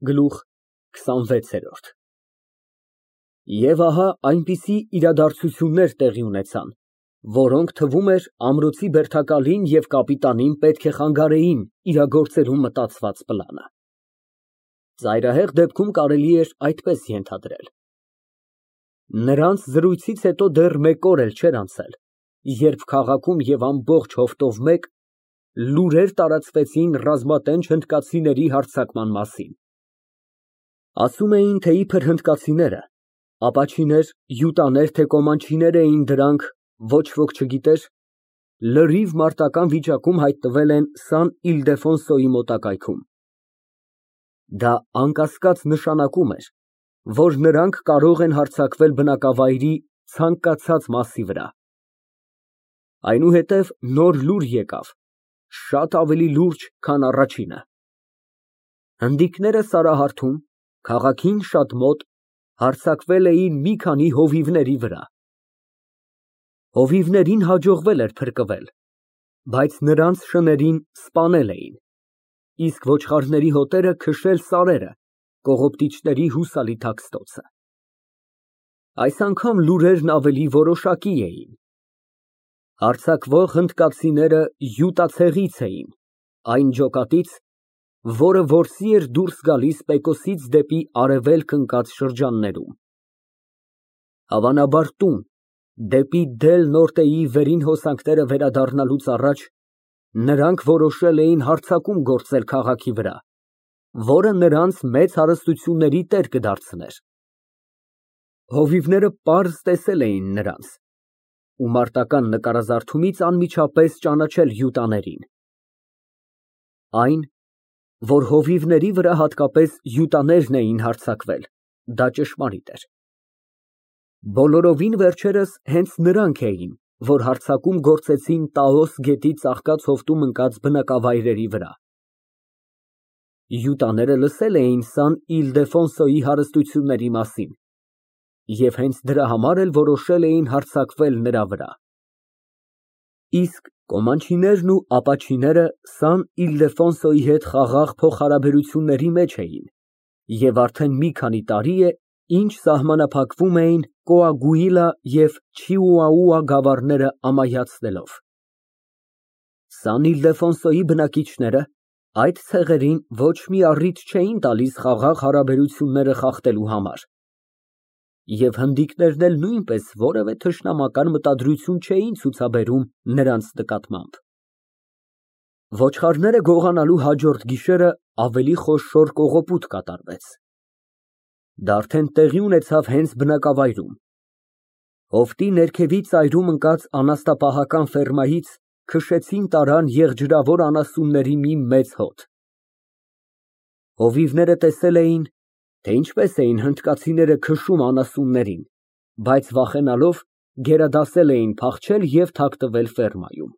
Գլուխ քսանվեցերորդ։ Եվ ահա այնպիսի իրադարձություններ տեղի ունեցան, որոնք, թվում էր, ամրոցի բերդակալին և կապիտանին պետք է խանգարեին իրագործելու մտածված պլանը։ Ծայրահեղ դեպքում կարելի էր այդպես ենթադրել. նրանց զրույցից հետո դեռ մեկ օր էլ չէր անցել, երբ քաղաքում և ամբողջ հովտով մեկ լուրեր տարածվեցին ռազմատենչ հնդկացիների հարձակման մասին։ Ասում էին, թե իբր հնդկացիները, ապաչիներ, յուտաներ, թե կոմանչիներ էին դրանք, ոչ ոք չգիտեր, լրիվ մարտական վիճակում հայտնվել են Սան Իլդեֆոնսոյի մոտակայքում։ Դա անկասկած նշանակում էր, որ նրանք կարող են հարձակվել բնակավայրի ցանկացած մասի վրա։ Այնուհետև նոր լուր եկավ, շատ ավելի լուրջ, քան առաջինը։ Հնդիկները Սարահարթում, քաղաքին շատ մոտ, հարձակվել էին մի քանի հովիվների վրա։ Հովիվներին հաջողվել էր փրկվել, բայց նրանց շներին սպանել էին, իսկ ոչխարների հոտերը քշել սարերը, կողոպտիչների հուսալի թաքստոցը։ Այս անգամ լուրերն ավելի որոշակի էին։ Հարձակվող հնդկացիները յուտացեղից էին, այն ջոկատից, որը որսի էր դուրս գալիս Պեկոսից դեպի արևելք ընկած շրջաններում։ Հավանաբար տուն, դեպի Դել Նորտեի վերին հոսանքները վերադառնալուց առաջ նրանք որոշել էին հարձակում գործել քաղաքի վրա, որը նրանց մեծ հարստությունների տեր կդարձներ։ Հովիվները պարզ տեսել էին նրանց ու մարտական նկարազարդումից անմիջապես ճանաչել յուտաներին։ Այն, որ հովիվների վրա հատկապես յուտաներն էին հարձակվել, դա ճշմարիտ էր։ Բոլորովին վերջերս հենց նրանք էին, որ հարձակում գործեցին Տաոս գետի ծաղկած հովտում ընկած բնակավայրերի վրա։ Յուտաները լսել էին Սան Իլդեֆոնսոյի հարստությունների մասին և հենց դրա համար էլ որոշել էին հարձակվել նրա վրա։ Իսկ կոմանչիներն ու ապաչիները Սան Իլդեֆոնսոյի հետ խաղաղ փոխհարաբերությունների մեջ էին և արդեն մի քանի տարի է, ինչ սահմանափակվում էին Կոագուիլա և Չիուաուա գավառները ամայացնելով։ Սան Իլդեֆոնսոյի բնակիչները այդ ցեղերին ոչ մի առիթ չէին տալիս խաղաղ հարաբերությունները խախտելու համար, և հնդիկներն էլ նույնպես որևէ թշնամական մտադրություն չէին ցուցաբերում նրանց նկատմամբ։ Ոչխարները գողանալու հաջորդ գիշերը ավելի խոշոր կողոպուտ կատարվեց։ Դա արդեն տեղի ունեցավ հենց բնակավայրում։ Հովտի ներքևի ծայրում ընկած անասնապահական ֆերմայից քշեցին տարան եղջյուրավոր անասունների մի մեծ հոտ։ Հովիվները տեսել էին, թե ինչպես էին հնդկացիները քշում անասուններին, բայց վախենալով գերադասել էին փախչել և թաքնվել ֆերմայում։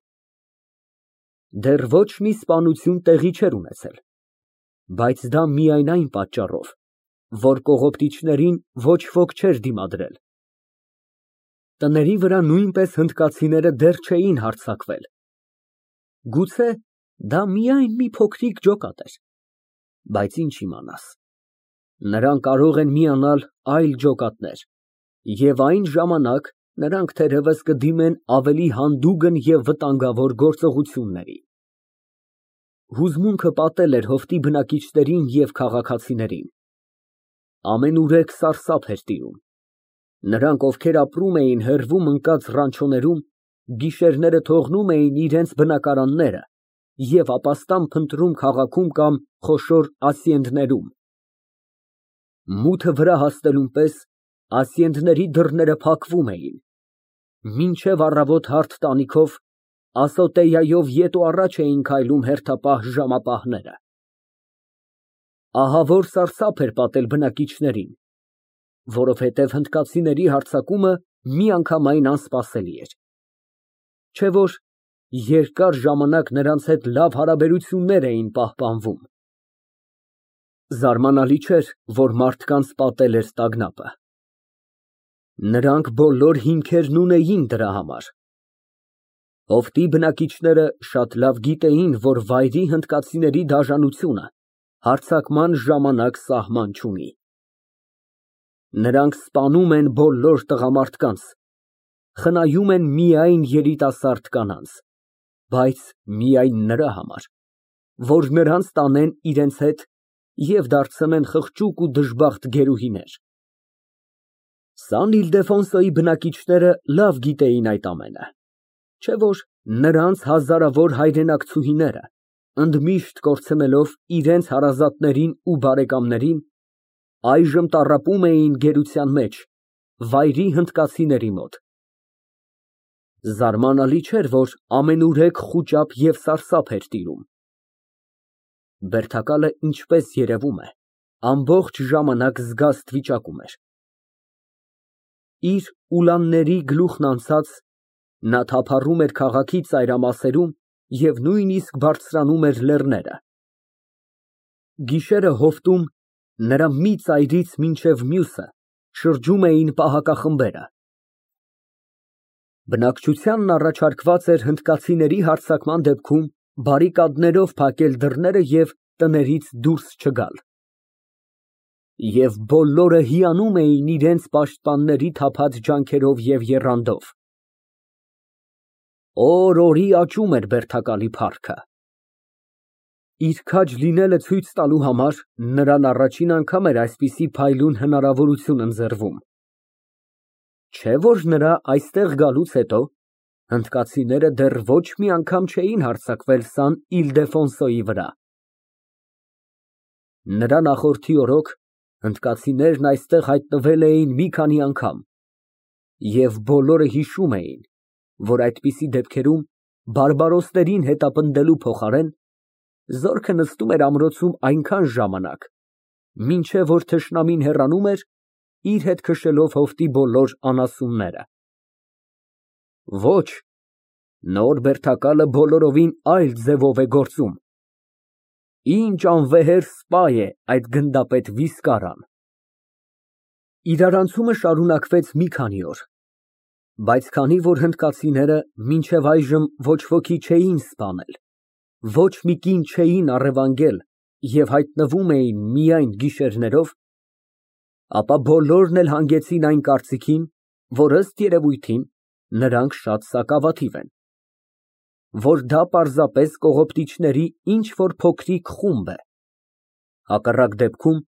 Դեռ ոչ մի սպանություն տեղի չէր ունեցել, բայց դա միայն այն պատճառով, որ կողոպտիչներին ոչ ոք չէր դիմադրել։ Տների վրա նույնպես հնդկացիները դեռ չէին հարձակվել։ Գուցե դա միայն մի փոքրիկ ջոկատ էր, բայց ինչ իմանաս, նրան կարող են միանալ այլ ջոկատներ, և այն ժամանակ նրանք թերևս կդիմեն ավելի հանդուգն և վտանգավոր գործողությունների։ Հուզմունքը պատել էր հովտի բնակիչներին և քաղաքացիներին։ Ամենուրեք սարսափ էր տիրում։ Նրանք, ովքեր ապրում էին հեռվում ընկած ռանչոներում, գիշերները թողնում էին իրենց բնակարանները և ապաստան փնտրում քաղաքում կամ խոշոր ասիենդներում։ Մութը վրա հասնելուն պես ասիենդների դռները փակվում էին, մինչև առավոտ հարթ տանիքով ասոտեյայով ետ ու առաջ էին քայլում հերթապահ ժամապահները։ Ահավոր սարսափ էր պատել բնակիչներին, որովհետև հնդկացիների հարձակումը միանգամայն անսպասելի էր, չէ՞ որ երկար ժամանակ նրանց հետ լավ հարաբերություններ էին պահպանվում։ Զարմանալի չէր, որ մարդկանց պատել էր տագնապը։ Նրանք բոլոր հիմքերն ունեին դրա համար։ Հովտի բնակիչները շատ լավ գիտեին, որ վայրի հնդկացիների դաժանությունը Հարձակման ժամանակ սահման չունի։ Նրանք սպանում են բոլոր տղամարդկանց, խնայում են միայն երիտասարդ կանանց, բայց միայն նրա համար, որ նրանց տանեն իրենց հետ և դարձնեն խղճուկ ու դժբախտ գերուհիներ։ Սան Իլդեֆոնսոյի բնակիչները լավ գիտեին այդ ամենը, չէ՞ որ նրանց հազարավոր հայրենակցուհիները, ընդմիշտ կորցնելով իրենց հարազատներին ու բարեկամներին, այժմ տառապում էին գերության մեջ, վայրի հնդկացիների մոտ։ Զարմանալի չէր, որ ամենուրեք խուճապ և սարսափ էր տիրում։ Բերդակալը, ինչպես երևում է, ամբողջ ժամանակ զգաստ վիճակում էր։ Իր ուլանների գլուխն անցած, նա թափառում էր քաղաքի ծայրամասերում և նույնիսկ բարձրանում էր լեռները։ Գիշերը հովտում նրա մի ծայրից մինչև մյուսը շրջում էին պահակախմբերը։ Բնակչությանն առաջարկված էր հնդկացիների հարձակման դեպքում բարիկադներով փակել դռները և տներից դուրս չգալ։ Եվ բոլորը հիանում էին իրենց պաշտպանների թափած ջանքերով և եռանդով։ Օր֊օրի աճում էր բերդակալի փառքը։ Իր քաջ լինելը ցույց տալու համար նրան առաջին անգամ էր այսպիսի փայլուն հնարավորություն ընձեռվում։ Չէ՞ որ նրա այստեղ գալուց հետո հնդկացիները դեռ ոչ մի անգամ չէին հարձակվել Սան Իլդեֆոնսոյի վրա։ Նրա նախորդի օրոք հնդկացիներն այստեղ հայտնվել էին մի քանի անգամ, և բոլորը հիշում էին, որ այդպիսի դեպքերում բարբարոսներին հետապնդելու փոխարեն զորքը նստում էր ամրոցում այնքան ժամանակ, մինչև որ թշնամին հեռանում էր, իր հետ քշելով հովտի բոլոր անասունները։ Ոչ, նոր բերդակալը բոլորովին այլ ձևով է գործում։ Ինչ անվեհեր սպա է այդ գնդապետ Վիսկարան։ Իրարանցումը շարունակվեց մի քանի օր, բայց քանի որ հնդկացիները մինչև այժմ ոչ ոքի չէին սպանել, ոչ մի կին չէին առևանգել և հայտնվում էին միայն գիշերներով, ապա բոլորն էլ հանգեցին այն կարծիքին, որ ըստ երևույթին նրանք շատ սակավաթիվ են, որ դա պարզապես կողոպտիչների ինչ֊որ փոքրիկ խումբ է, հակառակ դեպքում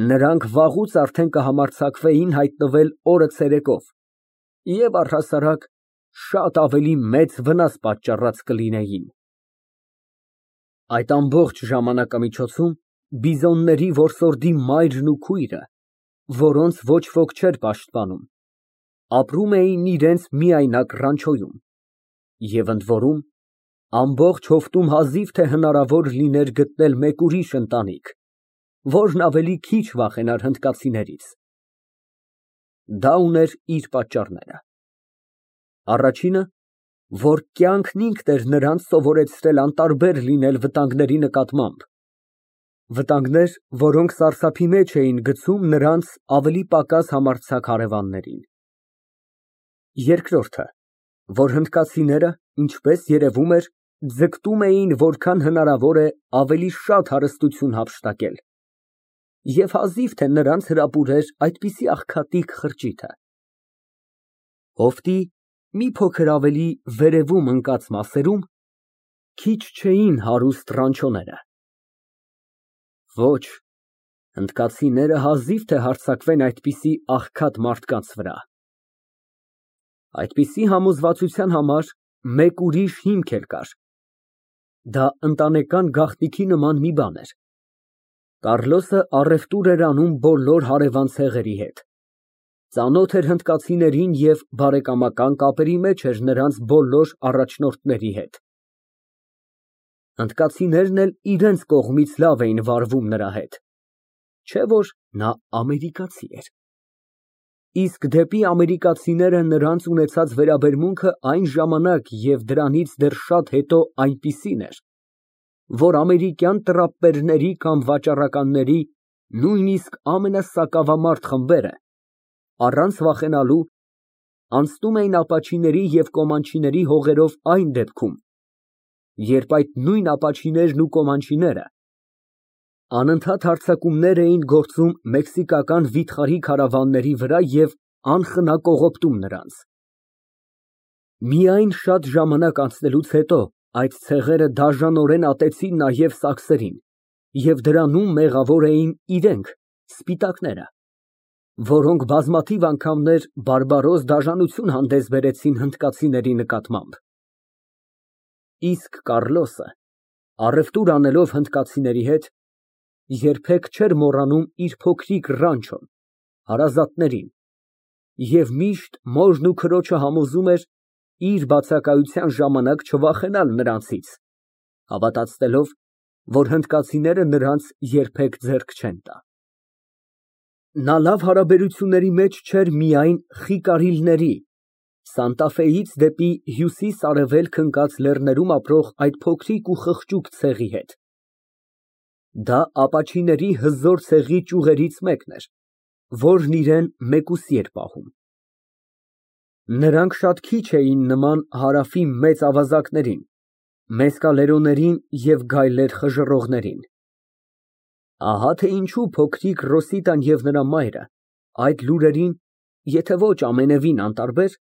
նրանք վաղուց արդեն կհամարձակվեին հայտնվել օրը ցերեկով և առհասարակ շատ ավելի մեծ վնաս պատճառած կլինեին։ Այդ ամբողջ ժամանակամիջոցում բիզոնների որսորդի մայրն ու քույրը, որոնց ոչ ոք չէր պաշտպանում, ապրում էին իրենց միայնակ ռանչոյում, և ընդ որում, ամբողջ հովտում հազիվ թե հնարավոր լիներ գտնել մեկ ուրիշ ընտանիք, որն ավելի քիչ վախենար հնդկացիներից։ Դա ուներ իր պատճառները։ Առաջինը, որ կյանքն ինքն էր նրանց սովորեցրել անտարբեր լինել վտանգների նկատմամբ, վտանգներ, որոնք սարսափի մեջ էին գցում նրանց ավելի պակաս համարձակ հարևաններին։ Երկրորդը, որ հնդկացիները, ինչպես երևում էր, ձգտում էին որքան հնարավոր է ավելի շատ հարստություն հափշտակել, և հազիվ թե նրանց հրապուրեր այդպիսի աղքատիկ խրճիթը։ Հովտի մի փոքր ավելի վերևում ընկած մասերում քիչ չէին հարուստ ռանչոները։ Ոչ, հնդկացիները հազիվ թե հարձակվեն այդպիսի աղքատ մարդկանց վրա։ Այդպիսի համոզվածության համար մեկ ուրիշ հիմք էլ կար. դա ընտանեկան գաղտնիքի նման մի բան էր։ Կառլոսը առևտուր էր անում բոլոր հարևան ցեղերի հետ, ծանոթ էր հնդկացիներին և բարեկամական կապերի մեջ էր նրանց բոլոր առաջնորդների հետ։ Հնդկացիներն էլ իրենց կողմից լավ էին վարվում նրա հետ, չէ՞ որ նա ամերիկացի էր։ Իսկ դեպի ամերիկացիները նրանց ունեցած վերաբերմունքը այն ժամանակ և դրանից դեռ շատ հետո այնպիսին էր, որ ամերիկյան տրապպերների կամ վաճառականների նույնիսկ ամենասակավամարդ խմբերը, առանց վախենալու, անցնում էին ապաչիների և կոմանչիների հողերով այն դեպքում, երբ այդ նույն ապաչիներն ու կոմանչիները Անընդհատ հարձակումներ էին գործում մեքսիկական վիթխարի քարավանների վրա և անխնա կողոպտում նրանց։ Միայն շատ ժամանակ անցնելուց հետո այդ ցեղերը դաժանորեն ատեցին նաև սաքսերին և դրանում մեղավոր էին իրենք, սպիտակները, որոնք բազմաթիվ անգամներ բարբարոս դաժանություն հանդես բերեցին հնդկացիների նկատմամբ։ Իսկ Կառլոսը, առևտուր անելով հնդկացիների հետ, երբեք չէր մոռանում իր փոքրիկ ռանչոն, հարազատներին և միշտ մորն ու քրոջը համոզում էր իր բացակայության ժամանակ չվախենալ նրանցից, հավատացնելով, որ հնդկացիները նրանց երբեք ձեռք չեն տա։ Նա լավ հարաբերությունների մեջ չէր միայն խիկարիլների, Սանտա Ֆեից դեպի հյուսիս֊արևելք ընկած լեռներում ապրող այդ փոքրիկ ու խղճուկ ցեղի հետ։ Դա ապաչիների հզոր ցեղի ճյուղերից մեկն էր, որն իրեն մեկուսի էր պահում։ Նրանք շատ քիչ էին նման Հարավի մեծ ավազակներին, մեսկալերոներին և գայլեր խժռողներին։ Ահա թե ինչու փոքրիկ Ռոսիտան և նրա մայրը այդ լուրերին, եթե ոչ ամենևին անտարբեր,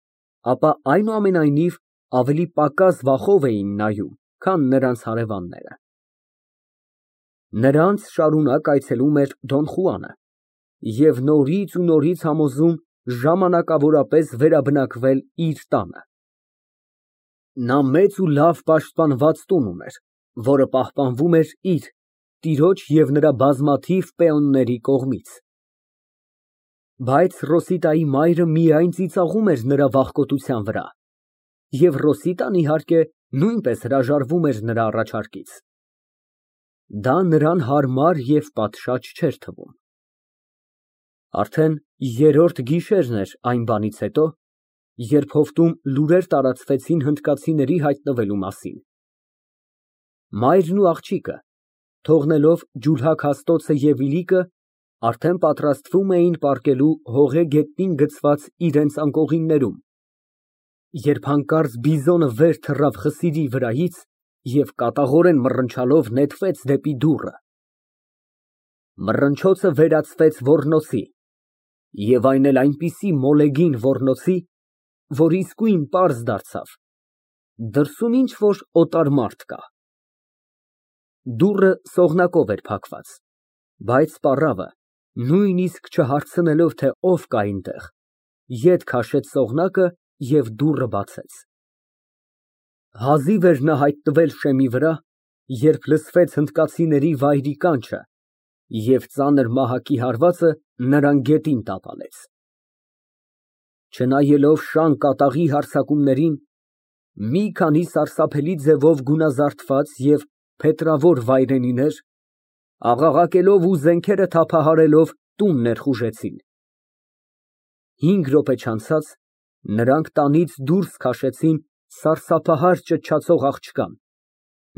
ապա այնուամենայնիվ ավելի պակաս վախով էին նայում, քան նրանց հարևանները։ Նրանց շարունակ այցելում էր Դոն Խուանը և նորից ու նորից համոզում ժամանակավորապես վերաբնակվել իր տանը։ Նա մեծ ու լավ պաշտպանված տուն ուներ, որը պահպանվում էր իր, տիրոջ և նրա բազմաթիվ պեոնների կողմից։ Բայց Ռոսիտայի մայրը միայն ծիծաղում էր նրա վախկոտության վրա, և Ռոսիտան, իհարկե, նույնպես հրաժարվում էր նրա առաջարկից։ Դա նրան հարմար և պատշաճ չէր թվում։ Արդեն երրորդ գիշերն էր այն բանից հետո, երբ հովտում լուրեր տարածվեցին հնդկացիների հայտնվելու մասին։ Մայրն ու աղջիկը, թողնելով ջուլհակ Հաստոցը և Իլիկը, արդեն պատրաստվում էին պառկելու հողե գետնին գցված իրենց անկողիններում, երբ հանկարծ բիզոնը վեր թռավ խսիրի վրայից և կատաղորեն մռնչալով նետվեց դեպի դուռը։ Մռնչոցը վերածվեց ոռնոցի և այն էլ այնպիսի մոլեգին ոռնոցի, որ իսկույն պարզ դարձավ, դրսում ինչ֊որ օտար մարդ կա։ Դուռը սողնակով էր փակված, բայց պառավը, նույնիսկ չհարցնելով, թե ով կա այնտեղ, ետ քաշեց սողնակը և դուռը բացեց։ Հազիվ էր նա հայտնվել շեմի վրա, երբ լսվեց հնդկացիների վայրի կանչը և ծանր մահակի հարվածը նրան գետին տապալեց։ Չնայելով շան կատաղի հարձակումներին, մի քանի սարսափելի ձևով գունազարդված և փետրավոր վայրենիներ, աղաղակելով ու զենքերը թափահարելով, տուն ներխուժեցին։ 5 րոպե չանցած նրանք տանից դուրս քաշեցին սարսափահար ճչացող աղջկան,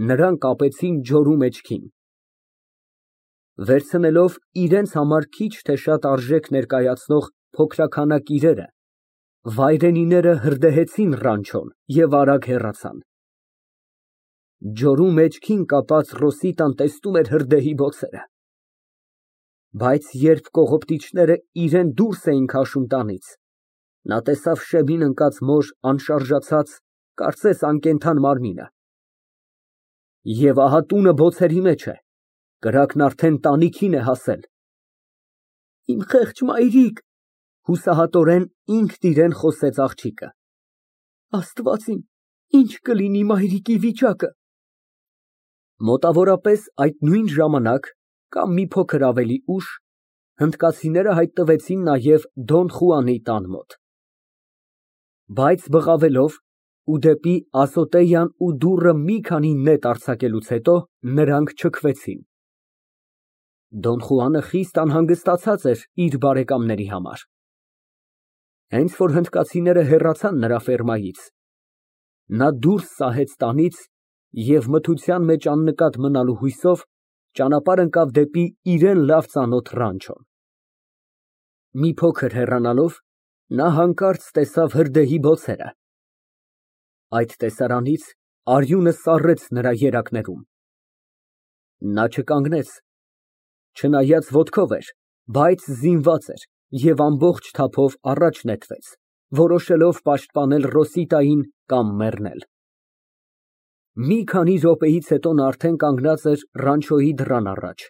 նրան կապեցին ջորու մեջքին։ Վերցնելով իրենց համար քիչ թե շատ արժեք ներկայացնող փոքրաքանակ իրերը, վայրենիները հրդեհեցին ռանչոն և արագ հեռացան։ Ջորու մեջքին կապած Ռոսիտան տեսնում էր հրդեհի բոցերը։ Բայց երբ կողոպտիչները իրան դուրս էին քաշում տանից, նա տեսավ շեմին ընկած մոր անշարժացած, կարծես անկենդան մարմինը։ Եվ ահա տունը բոցերի մեջ է, կրակն արդեն տանիքին է հասել։ Իմ խեղճ մայրիկ, հուսահատորեն ինքն իրան խոսեց աղջիկը, Աստված իմ, ինչ կլինի մայրիկի վիճակը։ Մոտավորապես այդ նույն ժամանակ, կամ մի փոքր ավելի ուշ, հնդկացիները հայտնվեցին նաև Դոն Խուանի տան մոտ։ Բայց բղավելով ու դեպի Ասոտեյան ու դուռը մի քանի նետ արձակելուց հետո, նրանք չքվեցին։ Դոն Խուանը խիստ անհանգստացած էր իր բարեկամների համար։ Հենց որ հնդկացիները հեռացան նրա ֆերմայից, նա դուրս սահեց տանից և մթության մեջ աննկատ մնալու հույսով ճանապարհ ընկավ դեպի իրան լավ ծանոթ ռանչոն։ Մի փոքր հեռանալով, նա հանկարծ տեսավ հրդեհի բոցերը։ Այդ տեսարանից արյունը սառեց նրա երակներում։ Նա չկանգնեց, Չնայած ոտքով էր, բայց զինված էր և ամբողջ թափով առաջ նետվեց, որոշելով պաշտպանել Ռոսիտային կամ մեռնել։ Մի քանի րոպեից հետո նա արդեն կանգնած էր ռանչոյի դռան առաջ։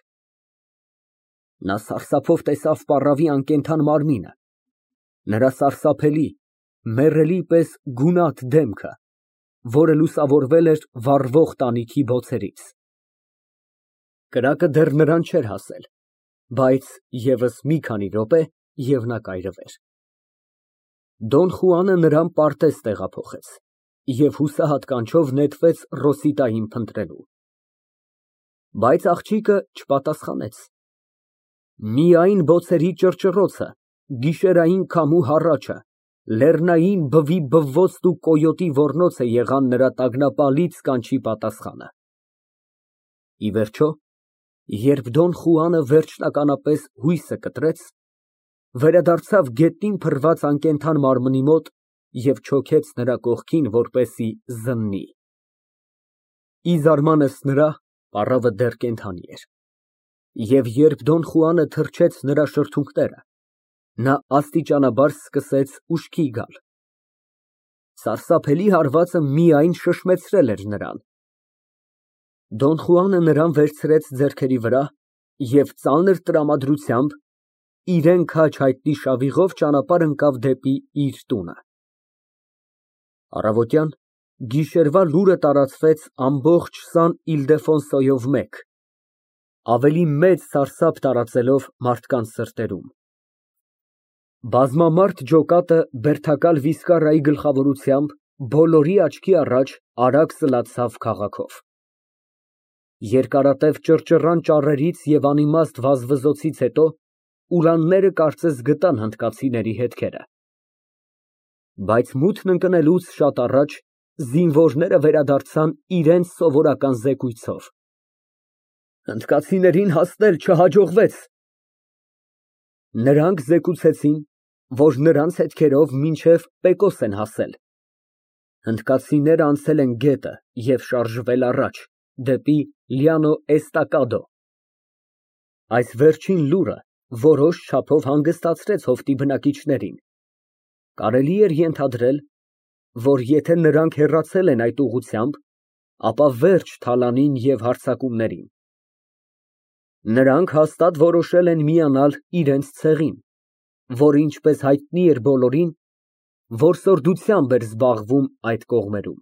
Նա սարսափով տեսավ պառավի անկենդան մարմինը, նրա սարսափելի, մեռելի պես գունատ դեմքը, որը լուսավորվել էր վառվող տանիքի բոցերից։ Կրակը դեռ նրան չէր հասել, բայց ևս մի քանի րոպե, և նա կայրվեր։ Դոն Խուանը նրան պարտեզ տեղափոխեց և հուսահատ կանչով նետվեց Ռոսիտային փնտրելու։ Բայց աղջիկը չպատասխանեց։ Միայն բոցերի ճռճռոցը, գիշերային քամու հառաչը, լեռնային բվի բվոցն ու կոյոտի ոռնոցը եղան նրա տագնապալից կանչի պատասխանը։ Ի վերջո, երբ Դոն Խուանը վերջնականապես հույսը կտրեց, վերադարձավ գետնին փռված անկենդան մարմնի մոտ և չոքեց նրա կողքին, որպեսզի զննի։ Ի զարմանքս նրա, պառավը դեռ կենդանի էր, և երբ Դոն Խուանը թրջեց նրա շրթունքները, նա աստիճանաբար սկսեց ուշքի գալ։ Սարսափելի հարվածը միայն շշմեցրել էր նրան։ Դոն Խուանը նրան վերցրեց ձեռքերի վրա և ծանր տրամադրությամբ, իրան քաջ հայտնի շավիղով ճանապարհ ընկավ դեպի իր տունը։ Առավոտյան գիշերվա լուրը տարածվեց ամբողջ Սան Իլդեֆոնսոյով մեկ, ավելի մեծ սարսափ տարածելով մարդկանց սրտերում։ Բազմամարդ ջոկատը բերդակալ Վիսկարայի գլխավորությամբ բոլորի աչքի առաջ արագ սլացավ քաղաքով։ Երկարատև ճռճռան ճառերից և անիմաստ վազվզոցից հետո ուրանները կարծես գտան հնդկացիների հետքերը։ Բայց մութն ընկնելուց շատ առաջ զինվորները վերադարձան իրենց սովորական զեկույցով։ Հնդկացիներին հասնել չհաջողվեց։ Նրանք զեկուցեցին, որ նրանց հետքերով մինչև Պեկոս են հասել։ Հնդկացիներն անցել են գետը և շարժվել առաջ, դեպի Լյանո Էստակադո։ Այս վերջին լուրը որոշ չափով հանգստացրեց հովտի բնակիչներին։ Կարելի էր ենթադրել, որ եթե նրանք հեռացել են այդ ուղղությամբ, ապա վերջ թալանին և հարձակումներին։ Նրանք հաստատ որոշել են միանալ իրենց ցեղին, որը, ինչպես հայտնի էր բոլորին, որսորդությամբ էր զբաղվում այդ կողմերում։